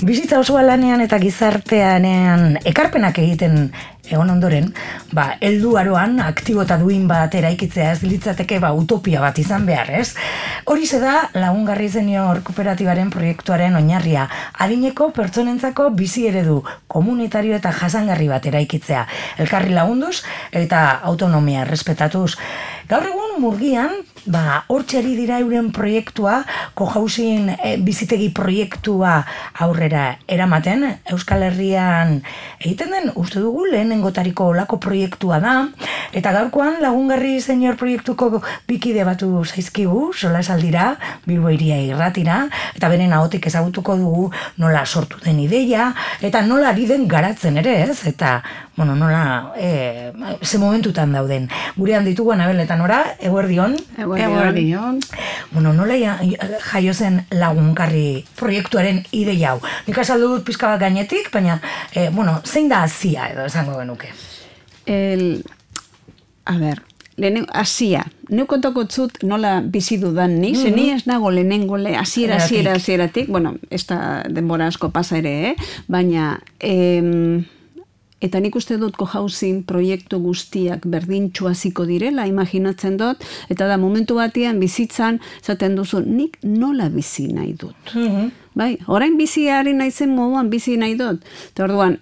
bizitza osoa lanean eta gizarteanean ekarpenak egiten egon ondoren, heldu aroan aktibo eta duin bat eraikitzea ez litzateke utopia bat izan behar, ez? Horixe da Lagungarri Senior Kooperatibaren proiektuaren oinarria, adineko pertsonentzako bizi eredu komunitario eta jasangarri bat eraikitzea, elkarri lagunduz eta autonomia errespetatuz. Gaur egun Murgian, hortxe ari dira euren proiektua, cohousing bizitegi proiektua aurrera eramaten, Euskal Herrian egiten den, uste dugu, lehenengotariko olako proiektua da, eta gaurkoan Lagungarri Senior proiektuko bikide batu zaizkigu, solasaldira, Bilbo Hiria Irratira, eta beren ahotik ezagutuko dugu nola sortu den ideia, eta nola ari den garatzen ere, ez? Eta, nola, ze momentutan dauden. Gurean ditugu Anabel eta Nora, eguerdion. Eguerdion. Nola jaio zen Lagungarri proiektuaren ideia hau. Nik azaldu dut pizka bat gainetik, baina, zein da hasia edo esango genuke? Hasia. Neu kontako zut nola bizi dudan ni, ni ez nago lehenengo hasieratik, ez da denbora asko pasa ere, baina eta nik uste dut cohousing proiektu guztiak berdintxu hasiko direla, imaginatzen dut, eta da momentu batean bizitzan, zaten duzu, nik nola bizi nahi dut. Bai, orain biziari naizen moduan bizi nahi dut. Eta orduan,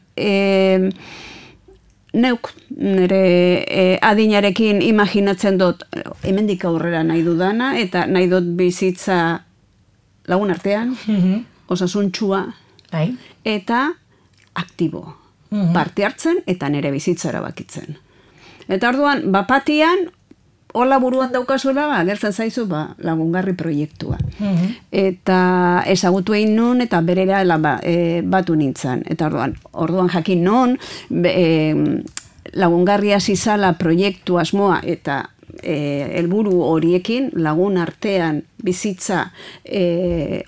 neuk nire adinarekin imaginatzen dut, hemendik aurrera nahi dudana, eta nahi dut bizitza lagun artean, osasuntxua, eta aktibo. Parte hartzen eta nire bizitza erabakitzen. Eta orduan, bapatian, hola buruan daukazuela, gertzen zaizu, Lagungarri proiektua. Eta ezagutu egin nun, eta berera batu nintzen. Eta orduan jakin nun, Lagungarria zizala proiektu asmoa, eta helburu horiekin lagun artean bizitza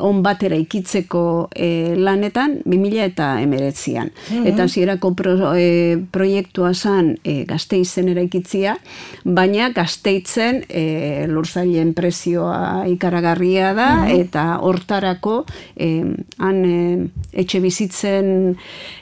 on batera ikitzeko lanetan 2019an. Eta hasierako proiektua zen Gasteizen eraikitzia, baina Gasteizen lurzailen prezioa ikaragarria da, eta hortarako han etxe bizitzen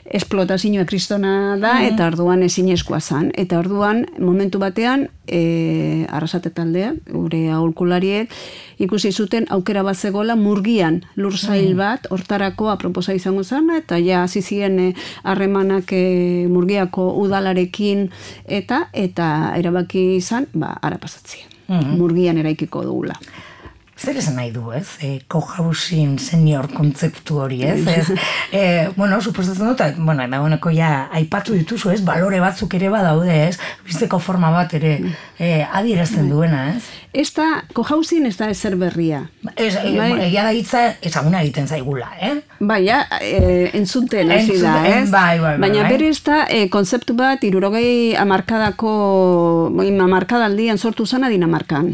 esplotazioa kristona da, eta orduan ezinezkoa zen. Eta orduan, momentu batean, Arrasate taldea, gure aholkulariek, ikusi zuten aukera bat zegoela Murgian lursail bat, hortarako aproposa izango zen, eta ja hasi ziren harremanak Murgiako udalarekin, eta erabaki izan, ara pasatzea. Murgian eraikiko dugula. Zer esan nahi du, ez? Cohousing senior kontzeptu hori, ez? Suposatzen dut, dagoeneko ja aipatu dituzu, ez? Balore batzuk ere badaude, ez? Bizteko forma bat ere adierazten duena, ez? Cohousing ez da ezer berria. Egia da hitza ezaguna egiten zaigula, Baina, entzuten hasi da, ez? Baina bere ez da kontzeptu bat 60 hamarkadaldian sortu zana Dinamarkan.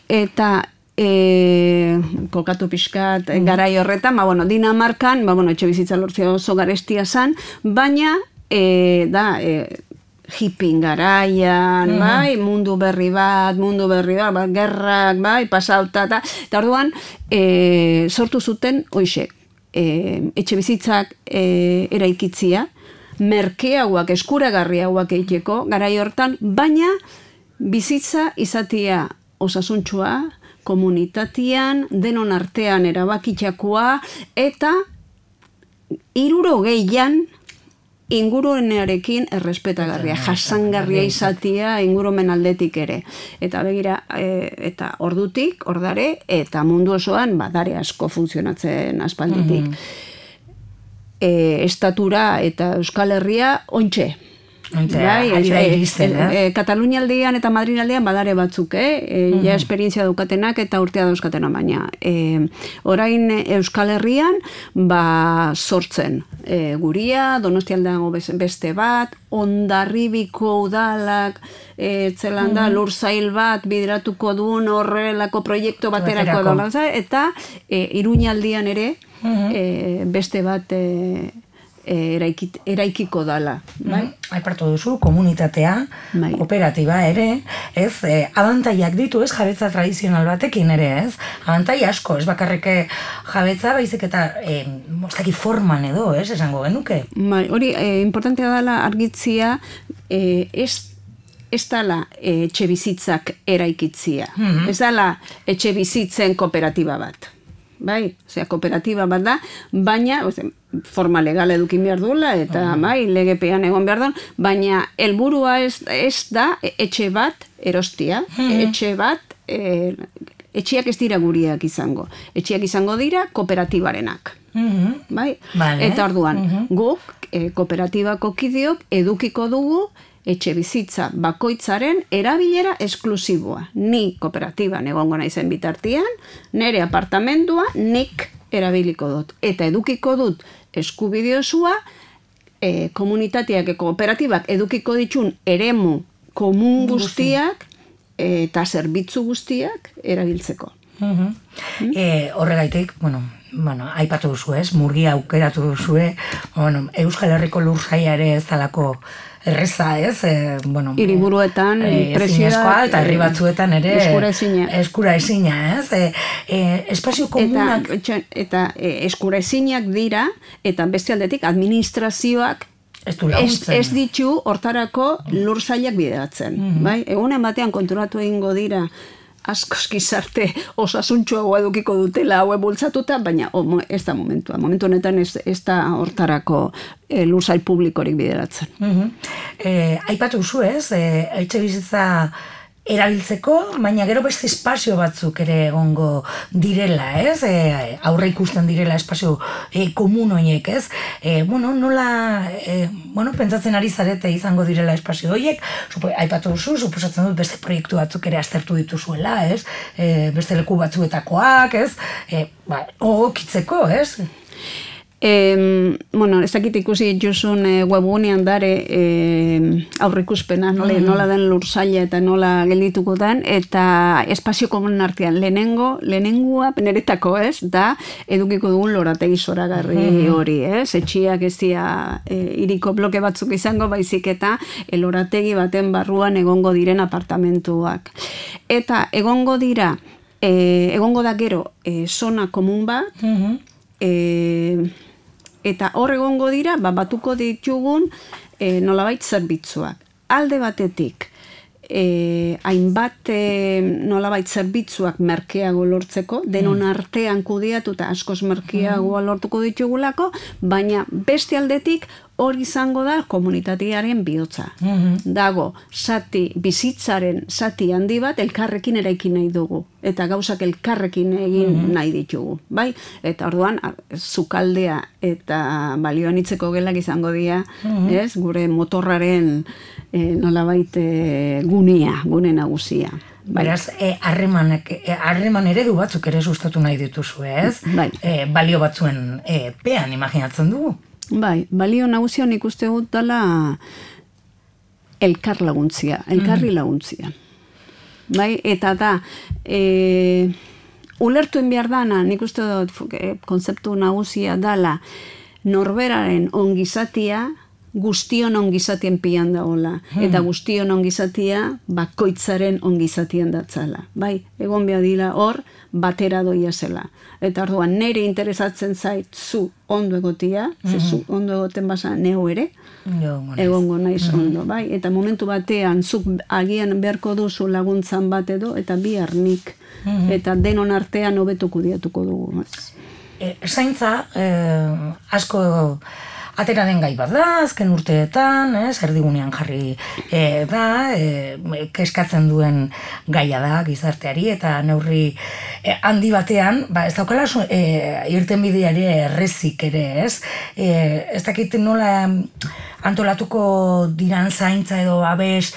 Eta kokatu pixkat garai horretan, Dinamarkan, etxe bizitza lortzea oso garestia zan, baina hipping garaian, mundu berri bat, gerrak, pasauta, eta orduan sortu zuten, hoixek, etxe bizitzak eraikitzia, merkeagoak, eskuragarriagoak egiteko, garai hortan, baina bizitza izatea osasuntxua, komunitatean, denon artean erabakitzakoa, eta 60an ingurunearekin errespetagarria, jasangarria izatea ingurumen aldetik ere. Eta begira, eta ordutik, ordare, eta mundu osoan, dare asko funtzionatzen aspalditik. Estatura eta Euskal Herria, ontxe. Katalunia aldean eta Madrid aldean badare batzuk, ja esperientzia daukatenak eta urtea dauzkatena, baina orain Euskal Herrian sortzen Guria, Donostialdean beste bat, Hondarribiko udalak zelanda lursail bat bideratuko duen horrelako proiektu baterako eta Iruñaldean ere beste bat eraikiko dala. Bai? Aipartu duzu, komunitatea, kooperatiba ere, ez, abantaiak ditu, ez, jabetza tradizional batekin ere, ez, abantai asko, ez bakarrik jabetza, baizik eta mostaki forman edo, ez, esango genuke. Bai, hori, importantea dela argitzia, ez dala etxe bizitzak eraikitzia. Ez dala etxe bizitzen kooperatiba bat. Bai, osea, kooperatiba bat da, baina, forma legala edukin behar duela, eta bai, legepean egon behar da, baina helburua ez da etxe bat erostia, etxe bat, etxeak ez dira guriak izango. Etxeak izango dira kooperatibarenak. Bai? Eta orduan, guk kooperatibako kideok edukiko dugu etxe bizitza bakoitzaren erabilera esklusiboa. Ni kooperatiban egongo naizen bitartian, nire apartamendua nik erabiliko dut. Eta edukiko dut eskubide osoa, komunitateak, kooperatibak edukiko ditun eremu komun guztiak eta zerbitzu guztiak erabiltzeko. Horregaitik, aipatu duzu ez, murgia aukeratu duzue, Euskal Herriko lursaila ere ez dalako erreza, ez? Hiriburuetan presioa eta herri batzuetan ere eskura ezina, ez? Espazio komunak eta eskura ezinak dira, eta beste aldetik administrazioak ez ditu hortarako lursailak bideratzen. Egunen batean konturatu egingo dira askoz gizarte osasuntxoagoa edukiko dutela haue bultzatuta, baina ez da momentua. Momentu honetan ez da hortarako lursail publikorik bideratzen. Aipatu duzu ez, etxe bizitza erabiltzeko, baina gero beste espazio batzuk ere egongo direla, ez? Aurre ikusten direla espazio komun horiek, ez? Nola, pentsatzen ari zarete izango direla espazio horiek, aipatu duzu, suposatzen dut beste proiektu batzuk ere aztertu dituzuela, ez? Beste leku batzuetakoak, ez? Okitzeko, ez? Ez dakit ikusi juzun webgunean dare aurrikuspena, nola den lursaila eta nola geldituko den, eta espazio komun artean lehenengua peneretako, ez, da edukiko dugun lorategi zoragarri hori, ez, etxiak ez dira hiriko bloke batzuk izango, baizik eta lorategi baten barruan egongo diren apartamentuak. Eta egongo da gero zona komun bat, eta hor egongo dira, batuko ditugun nolabait zerbitzuak. Alde batetik, hainbat nolabait zerbitzuak merkeago lortzeko, denon artean kudeatu eta askoz merkeago lortuko ditugulako, baina beste aldetik hori izango da komunitatearen bihotza. Dago, bizitzaren zati handi bat elkarrekin eraikin nahi dugu. Eta gauzak elkarrekin egin nahi ditugu. Bai? Eta orduan, zukaldea eta balioan itzeko gelak izango dira, ez? Gure motorraren nolabait gune nagusia. Beraz, harreman eredu batzuk ere sustatu nahi dituzu, ez? Balio batzuen pean, imaginatzen dugu. Bai, balio nagusia nik uste dut dela elkarri laguntzia. Bai, eta da, ulertuen behar dana, nik uste dut konzeptu nagusia dela norberaren ongizatia, guztion ongizatien pian daola, eta guztion ongizatia bakoitzaren ongizatien datzala. Bai, egon behar dira hor, batera doia zela. Eta orduan, nire interesatzen zait zu ondo egotia, zu ondo egoten basa neu ere, egongo naiz ondo, bai? Eta momentu batean, zuk agian beharko duzu laguntzan bat edo, eta bihar nik, eta denon artean hobetuko diatuko dugu. Zaintza, asko atera den gai bat da, azken urteetan, erdigunean jarri da, keskatzen duen gaia da gizarteari, eta neurri handi batean, ez daukala irten bideari errezik ere, ez? Ez dakit nola antolatuko diran zaintza edo babes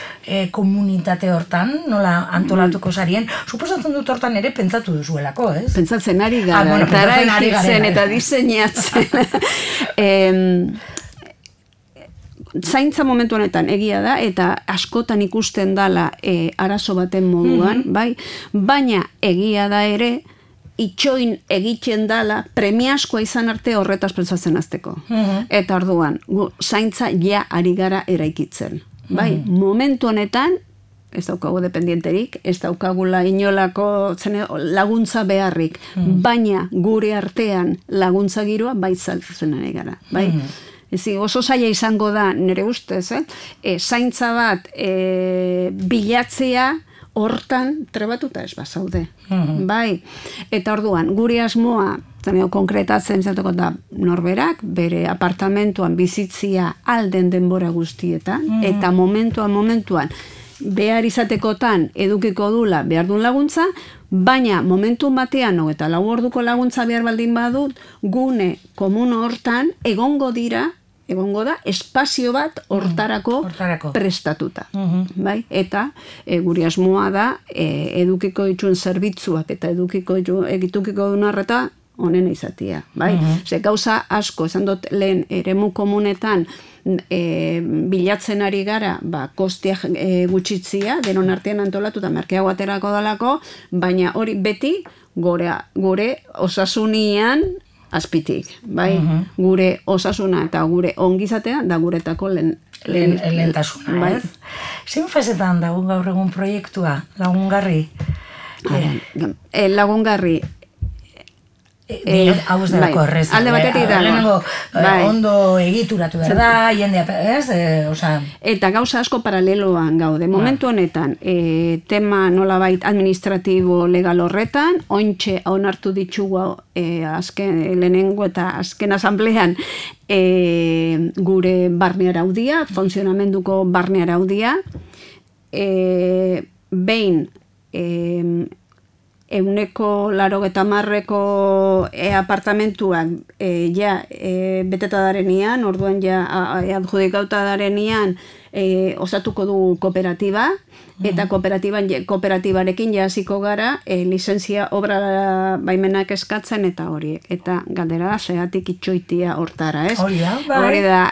komunitate hortan, nola antolatuko zarien, suposatzen dut hortan ere pentsatu duzuelako, ez? Pentsatzen ari gara, eta eraikitzen eta diseinatzen. Zaintza momentu honetan egia da, eta askotan ikusten dala arazo baten moduan, bai? Baina egia da ere, itxoin egiten dala, premiaskoa izan arte horretaz pentsatzen azteko. Eta orduan, zaintza ja ari gara eraikitzen. Bai, momentu honetan, ez daukagu dependienterik, ez daukagula inolako laguntza beharrik, baina gure artean laguntza giroa bai saltzen ari gara, bai? Oso zaila izango da, nire ustez, zaintza bat bilatzea hortan trebatuta ez bazaude, bai? Eta orduan, gure asmoa, konkretatzen zateko da norberak, bere apartamentuan bizitzia alden denbora guztietan, eta momentuan, behar izatekotan edukiko dula behar duen laguntza, baina momentu batean eta 4 orduko laguntza behar baldin badut, gune komuno hortan egongo da espazio bat hortarako prestatuta. Bai? Eta guri asmoa da edukiko dituen zerbitzuak eta edukiko duen arreta honena izatea. Bai? Ze gauza asko, esan dut lehen eremu komunetan bilatzen ari gara, kostiak gutxitzia, denon artean antolatu eta merkeago aterako dalako, baina hori beti gure osasunian azpitik, bai? Gure osasuna eta gure ongizatea da guretako lehentasuna, ez? Zein fasetan dago gaur egun proiektua, lagungarri? Lagungarri, hau ez delako horrez. Alde batetik dago. Ondo egituratu da, jendea, ez? Eta gauza asko paraleloan gaude. Momentu honetan, tema nolabait administratibo legal horretan, ointxe onartu ditugu lehenengo eta azken asamblean gure barne araudia, funtzionamenduko barne araudia, behin 180ko apartamentuak beteta darenean, orduan adjudikauta darenean osatuko du kooperatiba, eta kooperatibarekin hasiko gara lizentzia obra baimenak eskatzen eta horiek. Eta galdera da, zeatik itxoitia hortara, ez? Hori da,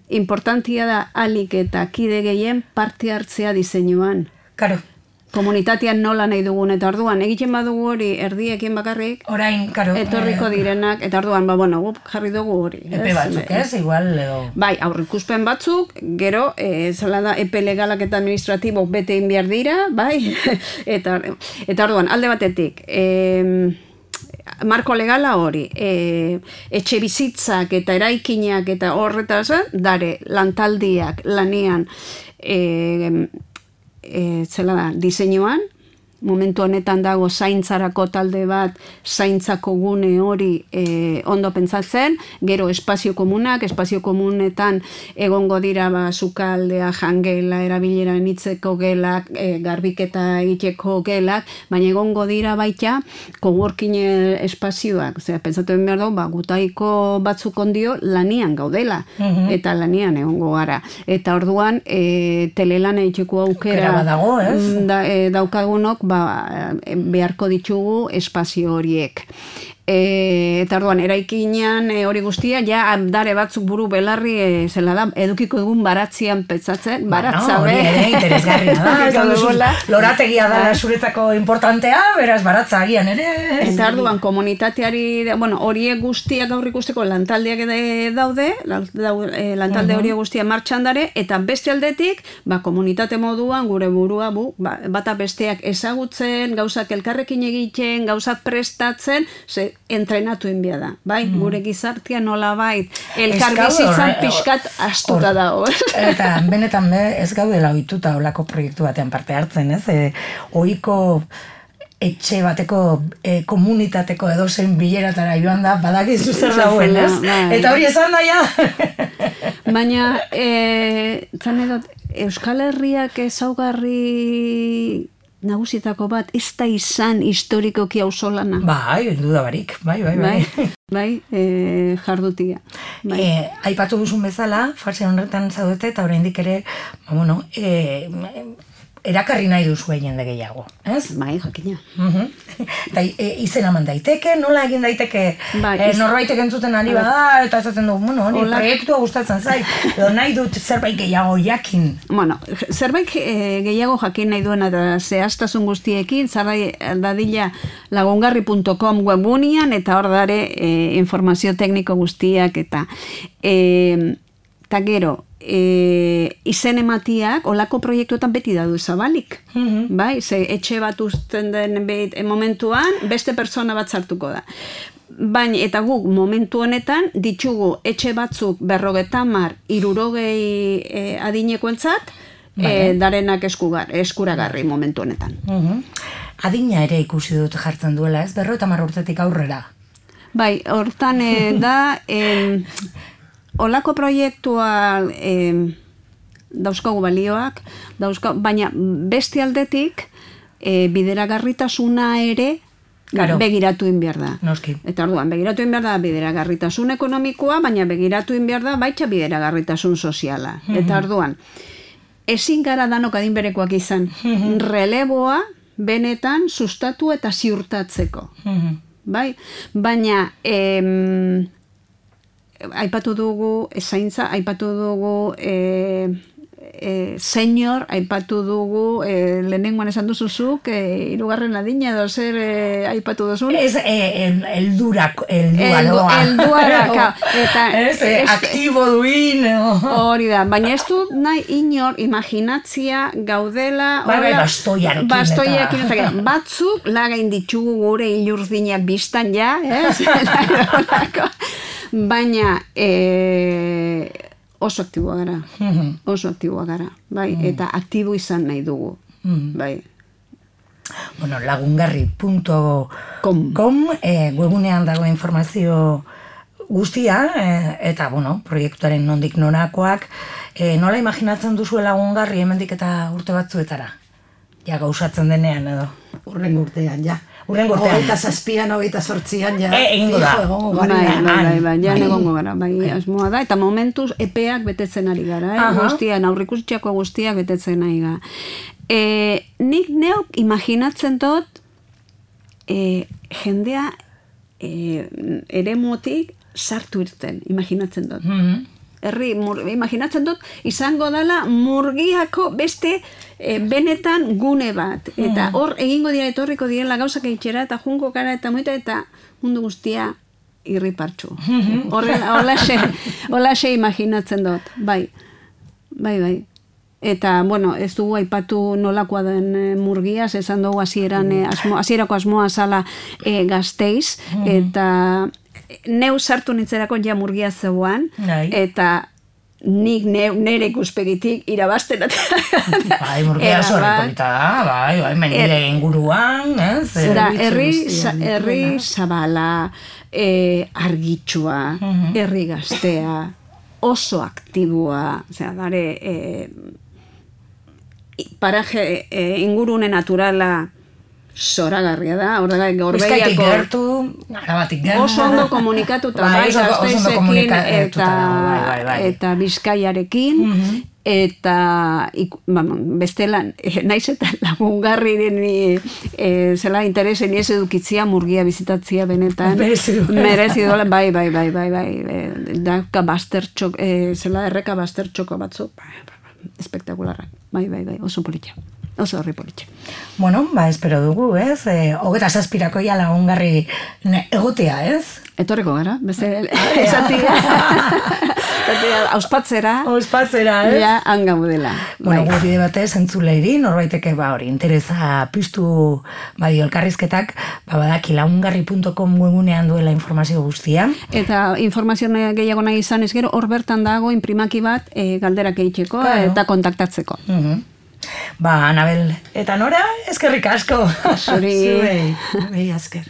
importantia da alik eta kide gehien parte hartzea diseinuan. Karo. Komunitatean nola nahi dugun, eta orduan, egiten badugu hori erdiekin bakarrik, orain, karo, etorriko direnak, eta orduan, jarri dugu hori. Epe batzuk, ez? Igual, bai, aurrikuspen batzuk, gero, zela da, epe legalak eta administratibok bete behar dira, bai, eta orduan, alde batetik, marko legala hori, etxe bizitzak eta eraikinak eta horretaz, dare, lantaldiak, lanean, zela da, diseinuan, momentu honetan dago zaintzarako talde bat, zaintzako gune hori ondo pentsatzen, gero espazio komunetan egongo dira sukaldea, jangela, erabilera nitzeko gelak, garbiketa egiteko gelak, baina egongo dira baita coworking espazioak, pentsatu behar dugu, gutaiko batzuk ondio lanian gaudela, eta lanian egongo gara. Eta orduan, telelan egiteko aukera daukagunok, beharko ditugu espazio horiek. Eta orduan, eraikinean hori guztia, dare batzuk buru belarri zela da, edukiko dugun baratzian pentsatzen, baratza hori ere interesgarria da, lorategia da zuretako importantea, beraz baratza agian ere. Eta orduan, komunitateari, horiek guztiak gaur ikusteko lantaldeak daude, lantalde horiek guztiak martxan dare, eta beste aldetik, komunitate moduan, gure burua, bata besteak ezagutzen, gauzak elkarrekin egiten, gauzak prestatzen, entrenatu enbia da, bai? Gure gizartia nola bait, elkar bizitzan pixkat astuta dago. Eta benetan ez gaudela ohituta olako proiektu batean parte hartzen, ez? Ohiko etxe bateko komunitateko edozein bileratara joan da, badakizu zer dagoen, ez? Eta hori esan daia. Baina, zan edot, Euskal Herriak ezaugarri nagusietako bat, ez da izan historikoki auzolana. Bai, duda barik, bai, jardutia. Aipatu duzun bezala, fase horretan zaudete, eta oraindik ere, erakarri nahi duzu jende gehiago, ez? Bai, jakina. Eta izen eman daiteke, nola egin daiteke norbaitek entzuten ari bada, eta esaten du, bueno, proiektua gustatzen zait, edo nahi dut zerbait gehiago jakin. Bueno, zerbait gehiago jakin nahi duena da zehaztasun guztiekin, zarrai dadila lagungarri.com webgunean, eta hor dare informazio tekniko guztiak, eta gero, izen ematiak olako proiektuetan beti dadu zabalik, bai? Ze etxe bat uzten den momentuan beste persona bat sartuko da. Baina eta guk momentu honetan ditugu etxe batzuk 50, 60 adinekoentzat darenak eskuragarri momentu honetan. Adina ere ikusi dut jartzen duela, ez? 50 urtetik aurrera. Bai, hortan da olako proiektua dauzkagu balioak, baina beste aldetik bideragarritasuna ere begiratu behar da. Noski. Eta orduan, begiratu behar da bideragarritasun ekonomikoa, baina begiratu behar da baita bideragarritasun soziala. Eta orduan, ezin gara danok adinberekoak izan, releboa benetan sustatu eta ziurtatzeko. Bai? Baina aipatu dugu zaintza, aipatu dugu senior, aipatu dugu lehenengoan esan duzuzuk, 3. adina edo zer aipatu duzun? Ez, eldua aktibo duin. Hori da, baina ez du nahi inor imaginatzia gaudela bastoiarekin batzuk lagain ditugu gure ilurdinak biztan ja, baina oso aktiboa gara, bai, eta aktibo izan nahi dugu, bai. Bueno, lagungarri.com webunean dago informazio guztia, eta, bueno, proiektuaren nondik norakoak, nola imaginatzen duzu Lagungarri hemendik eta urte batzuetara? Ja, gauzatzen denean, edo? Urrengo urtean, ja. Urrengo urtean. 27an, 28an, ja. Egingo da. Bai, ja egongo gara, bai, asmoa da, eta momentuz epeak betetzen ari gara, guztian, aurrikusitxako guztiak betetzen ari gara. Nik neok imaginatzen dut jendea eremutik sartu irten, imaginatzen dut. Imaginatzen dut, izango dela Murgiako beste benetan gune bat. Eta hor egingo dira, etorriko direla gauzak eitxera, eta jungo gara, eta moita, eta mundu guztia irripartxu. Holaxe imaginatzen dut. Bai. Eta, bueno, ez dugu aipatu nolakoa den Murgiaz, esan dugu hasierako asmoa zala Gasteiz, eta neu sartu nintzerako ja Murgia zeuan, eta nik nere ikuspegitik irabazten. Bai, Murgia zorripolita da, bai, menire inguruan, ez? Herri zabala, argitsua, herri gaztea, oso aktibua, dare, paraje ingurune naturala zoragarria da, Bizkaitik gertu, Arabatik gertu. Oso ondo komunikatuta, Gasteizekin eta Bizkaiarekin, eta bestela, naiz eta Lagungarri zela interesen ez edukitzia Murgia bizitatzia benetan. Merezi dola, bai. Daka baztertxok, zela erreka baztertxoko batzuk, espektakularrak, bai, oso politia. Oso horri politxe. Bueno, espero dugu, ez? 27ko ja Lagungarri egotea, ez? Etorriko gara, beste esatia. Auspatzera, ez? Ja, hangaudela. Bueno, gure batez, entzuleiri, norbaiteke hori, interesa piztu elkarrizketak, badaki lagungarri.com webunean duela informazio guztia. Eta informazio gehiago nahi izan ez gero, hor bertan dago imprimaki bat galderak egiteko eta kontaktatzeko. Anabel eta Nora, eskerrik asko. Zuri. Zuei, esker.